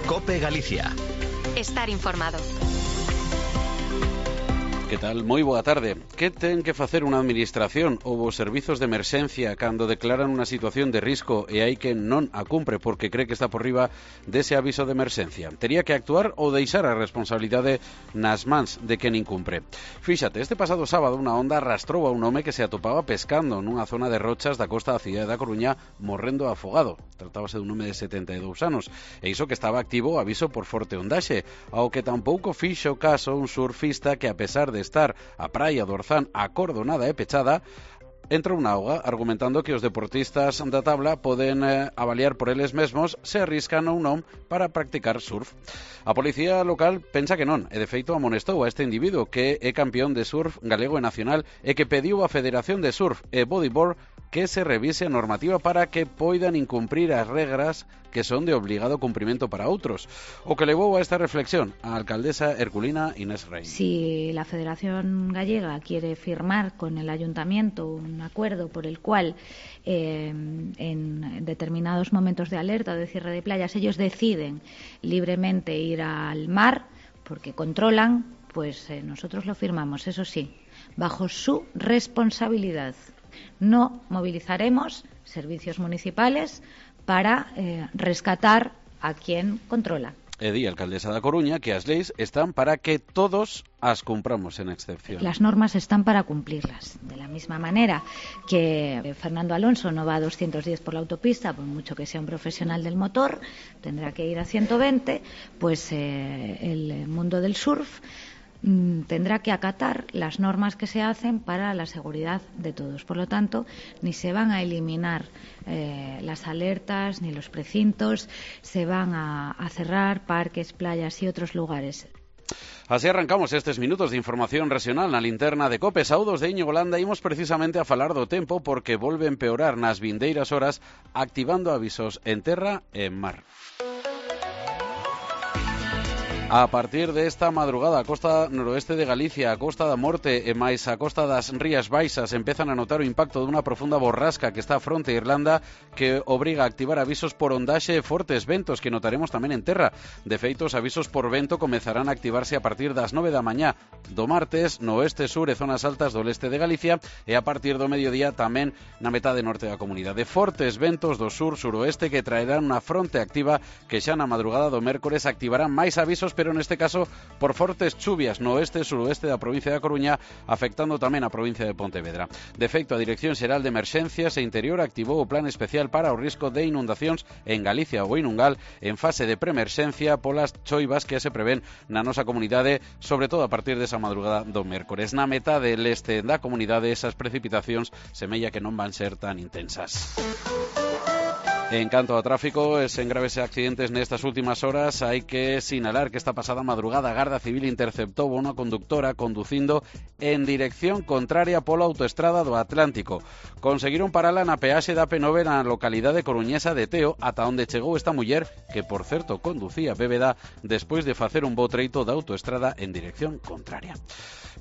COPE Galicia. Estar informado. Que tal? Moi boa tarde. Que ten que facer unha administración ou os servizos de emerxencia cando declaran unha situación de risco e hai que non a cumpre porque cree que está por riba dese aviso de emerxencia? Tería que actuar ou deixar a responsabilidade nas mans de quen incumpre? Fíxate, este pasado sábado unha onda arrastrou a un home que se atopaba pescando nunha zona de rochas da costa da cidade da Coruña morrendo afogado. Tratábase dun home de 72 anos e iso que estaba activo o aviso por forte ondaxe, ao que tampouco fixo caso un surfista que, a pesar de estar a praia do Orzán acordonada e pechada, entrou na auga argumentando que os deportistas da tabla poden avaliar por eles mesmos se arriscan ou non para practicar surf. A policía local pensa que non e de feito amonestou a este individuo que é campeón de surf galego e nacional e que pediu á Federación de Surf e Bodyboard que se revise a normativa para que poidan incumprir as regras que son de obligado cumprimento para outros. O que levou a esta reflexión a alcaldesa herculina Inés Rey. Si la Federación Gallega quiere firmar con el Ayuntamiento un acuerdo por el cual en determinados momentos de alerta o de cierre de playas ellos deciden libremente ir al mar porque controlan, pues nosotros lo firmamos, eso sí, bajo su responsabilidad. No movilizaremos servicios municipales para rescatar a quien controla. E di a alcaldesa da Coruña que as leis están para que todos as cumpramos en excepción. Las normas están para cumplirlas. De la misma manera que Fernando Alonso no va a 210 por la autopista, por mucho que sea un profesional del motor, tendrá que ir a 120, pues el mundo del surf tendrá que acatar las normas que se hacen para la seguridad de todos. Por lo tanto, ni se van a eliminar las alertas ni los precintos, se van a cerrar parques, playas y otros lugares. Así arrancamos estes minutos de información regional na linterna de COPE. Saúdos de Íñigo Landa, imos precisamente a falar do tempo porque volve empeorar nas vindeiras horas activando avisos en terra e en mar. A partir desta madrugada, a costa noroeste de Galicia, a costa da Morte e máis a costa das Rías Baixas empezan a notar o impacto dunha profunda borrasca que está fronte a Irlanda que obriga a activar avisos por ondaxe e fortes ventos que notaremos tamén en terra. De feito, os avisos por vento comezarán a activarse a partir das 9 da mañá do martes no oeste, sur e zonas altas do leste de Galicia e a partir do mediodía tamén na metade norte da comunidade. Fortes ventos do sur, suroeste que traerán unha fronte activa que xa na madrugada do mércores activarán máis avisos, pero neste caso por fortes chuvias no oeste e suroeste da provincia da Coruña, afectando tamén a provincia de Pontevedra. De feito, a Dirección Xeral de Emerxencias e Interior activou o plan especial para o risco de inundacións en Galicia ou Inungal en fase de preemerxencia polas choivas que se prevén na nosa comunidade, sobre todo a partir desa madrugada do mércores. Na metade leste da comunidade esas precipitacións semella que non van ser tan intensas. En canto ao tráfico, sen graves accidentes nestas últimas horas, hai que sinalar que esta pasada madrugada a Garda Civil interceptou unha conductora conducindo en dirección contraria pola autoestrada do Atlántico. Conseguiron parala na peaxe da P9 na localidade coruñesa de Teo, ata onde chegou esta muller, que por certo conducía bébeda despois de facer un bo treito da autoestrada en dirección contraria.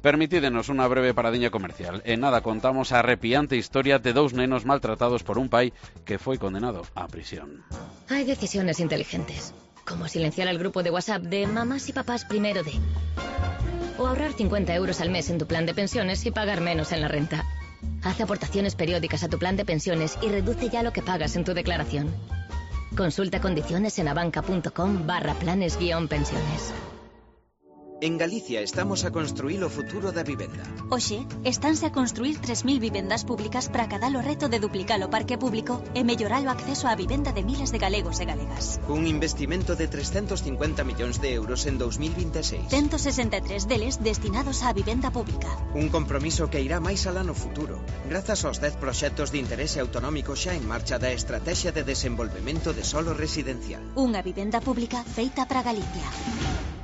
Permitídenos unha breve paradiña comercial. En nada contamos a arrepiante historia de dous nenos maltratados por un pai que foi condenado a prisión. Hay decisiones inteligentes, como silenciar al grupo de WhatsApp de mamás y papás primero de... O ahorrar 50 euros al mes en tu plan de pensiones y pagar menos en la renta. Haz aportaciones periódicas a tu plan de pensiones y reduce ya lo que pagas en tu declaración. Consulta condiciones en abanca.com/planes-pensiones. En Galicia estamos a construir o futuro da vivenda. Oxe, estánse a construir 3.000 vivendas públicas para acadar o reto de duplicar o parque público e mellorar o acceso á vivenda de miles de galegos e galegas. Un investimento de 350 millóns de euros en 2026. 163 deles destinados á vivenda pública. Un compromiso que irá máis alá no futuro, grazas aos 10 proxectos de interese autonómico xa en marcha da Estrategia de Desenvolvemento de Solo Residencial. Unha vivenda pública feita para Galicia.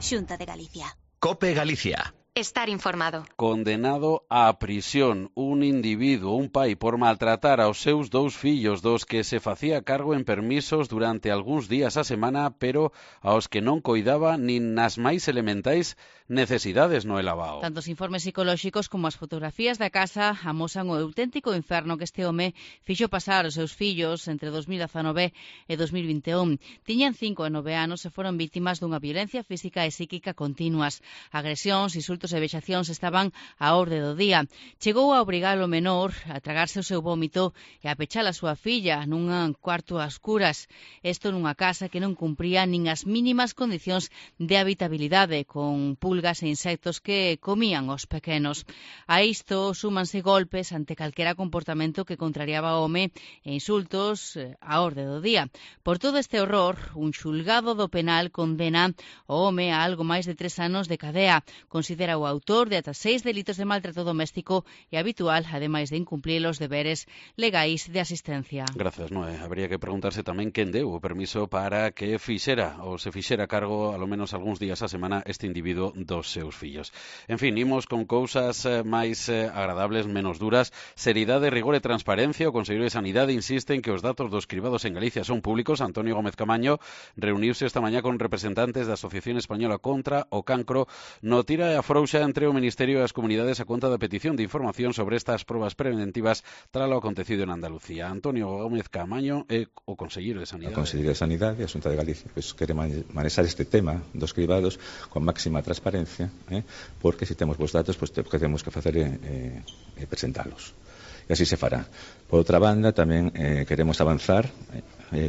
Xunta de Galicia. COPE Galicia. Estar informado. Condenado á prisión un individuo, un pai, por maltratar aos seus 2 fillos, dos que se facía cargo en permisos durante algúns días a semana, pero aos que non coidaba nin nas máis elementais necesidades no elabao. Tanto os informes psicolóxicos como as fotografías da casa amosan o auténtico inferno que este home fixo pasar os seus fillos entre 2019 e 2021. Tiñan 5 e 9 anos e foron vítimas dunha violencia física e psíquica continuas. Agresións, insultos e vexacións estaban á orde do día. Chegou a obrigar o menor a tragarse o seu vómito e a pechar a súa filla nun cuarto a escuras. Isto nunha casa que non cumpría nin as mínimas condicións de habitabilidade, con pulgas e insectos que comían os pequenos. A isto súmanse golpes ante calquera comportamento que contrariaba o home e insultos á orde do día. Por todo este horror, un xulgado do penal condena o home a algo máis de 3 anos de cadea. Considera o autor de ata 6 delitos de maltrato doméstico e habitual, ademais de incumplir os deberes legais de asistencia. Gracias, Noé. Habría que preguntarse tamén quen deu o permiso para que fixera ou se fixera cargo alo menos algúns días a semana este individuo dos seus fillos. En fin, imos con cousas máis agradables, menos duras. Seriedade, rigor e transparencia. O Conselleiro de Sanidade insiste en que os datos dos cribados en Galicia son públicos. Antonio Gómez Camaño reuniuse esta mañá con representantes da Asociación Española contra o Cancro no tira e afrouxa entre o Ministerio e as comunidades a conta da petición de información sobre estas probas preventivas tras o acontecido en Andalucía. Antonio Gómez Camaño é o Conselleiro de Sanidade. O Conselleiro de Sanidade e a Xunta de Galicia quere manexar este tema dos cribados con máxima transparencia, porque se temos os datos, o que temos que facer é presentalos. E así se fará. Por outra banda, tamén queremos avanzar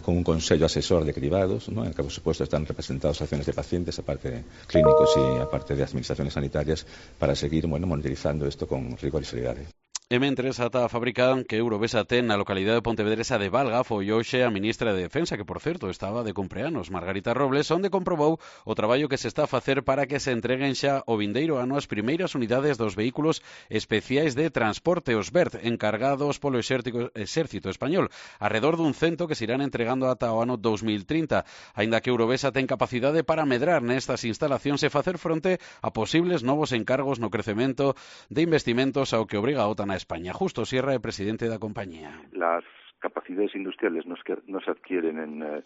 con un consello asesor de cribados, ¿no? En el que, por supuesto, están representados acciones de pacientes, aparte de clínicos y aparte de administraciones sanitarias, para seguir monitorizando esto con rigor y seriedade. E mentres ata a fábrica que Eurovesa ten na localidade de Pontevedresa de Valga foi hoxe a ministra de Defensa, que, por certo, estaba de cumpleanos, Margarita Robles, onde comprobou o traballo que se está a facer para que se entreguen xa o vindeiro ano as primeiras unidades dos vehículos especiais de transporte, os BERT, encargados polo Exército Español, arredor dun 100 que se irán entregando ata o ano 2030, aínda que Eurovesa ten capacidade para medrar nestas instalacións e facer fronte a posibles novos encargos no crecemento de investimentos ao que obriga a OTAN a España. Justo Sierra, presidente da compañía. Las capacidades industriales no se adquieren en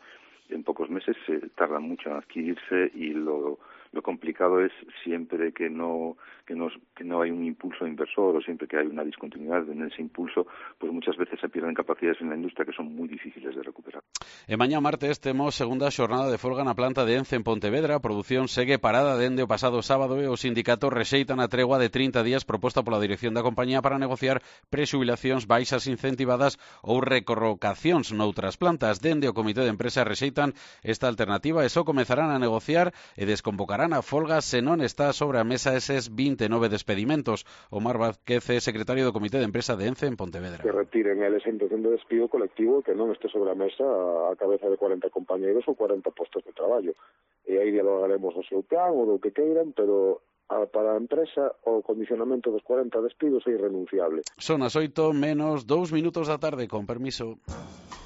pocos meses, tardan mucho en adquirirse y lo complicado es siempre que no hay un impulso inversor o siempre que hay una discontinuidad en ese impulso, pues muchas veces se pierden capacidades en la industria que son muy difíciles de recuperar. E mañá martes temos segunda xornada de folga na planta de Ence en Pontevedra. A produción segue parada dende o pasado sábado e os sindicatos rexeitan a tregua de 30 días proposta pola dirección da compañía para negociar prexubilacións, baixas incentivadas ou recorrocacións noutras plantas. Dende o Comité de Empresa rexeitan esta alternativa e só comezarán a negociar e desconvocarán a folga se non está sobre a mesa eses 29 despedimentos. Omar Vázquez, secretario do Comité de Empresa de Ence en Pontevedra. Que retiren esa intención de despido colectivo, que non este sobre a mesa a cabeza de 40 compañeiros ou 40 postos de traballo. E aí dialogaremos o seu plan ou do que queiran, pero para a empresa o condicionamento dos 40 despidos é irrenunciable. Son as 8 menos 2 minutos da tarde, con permiso.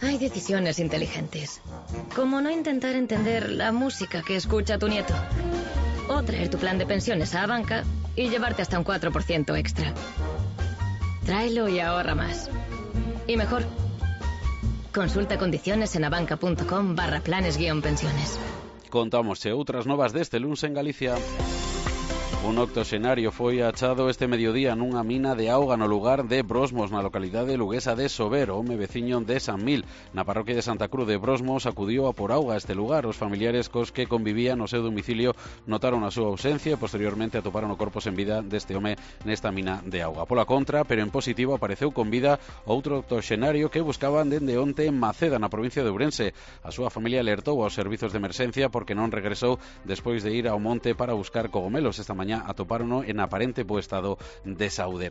Hay decisiones inteligentes, como no intentar entender la música que escucha tu nieto, o traer tu plan de pensiones a banca y llevarte hasta un 4% extra. Tráelo y ahorra más. Y mejor, consulta condiciones en abanca.com/planes-pensiones. Contámosche outras novas deste luns en Galicia. Un octoxenario foi achado este mediodía nunha mina de auga no lugar de Brosmos, na localidade luguesa de Sober, home veciño de San Mil. Na parroquia de Santa Cruz de Brosmos acudiu a por auga a este lugar. Os familiares cos que convivían no seu domicilio notaron a súa ausencia e posteriormente atoparon o corpo sen vida deste home nesta mina de auga. Pola contra, pero en positivo, apareceu con vida outro octoxenario que buscaban dende onte en Maceda, na provincia de Ourense. A súa familia alertou aos servizos de emerxencia porque non regresou despois de ir ao monte para buscar cogomelos. Esta mañá atopárono en aparente bo estado de saúde.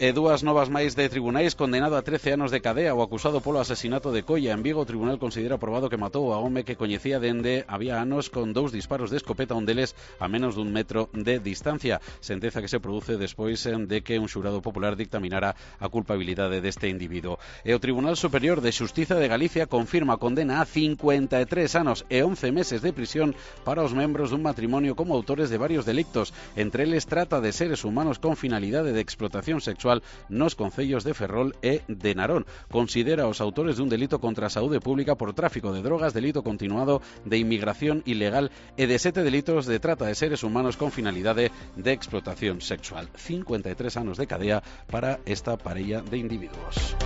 E dúas novas máis de tribunais. Condenado a 13 anos de cadea o acusado polo asesinato de Colla en Vigo, o tribunal considera probado que matou a home que coñecía dende había anos con 2 disparos de escopeta, un deles a menos dun metro de distancia. Sentenza que se produce despois de que un xurado popular dictaminara a culpabilidade deste individuo. E o Tribunal Superior de Xustiza de Galicia confirma a condena a 53 anos e 11 meses de prisión para os membros dun matrimonio como autores de varios delictos. entre eles trata de seres humanos con finalidade de explotación sexual nos concellos de Ferrol e de Narón. Considera os autores dun delito contra a saúde pública por tráfico de drogas, delito continuado de inmigración ilegal e de 7 delitos de trata de seres humanos con finalidade de explotación sexual. 53 anos de cadea para esta parella de individuos.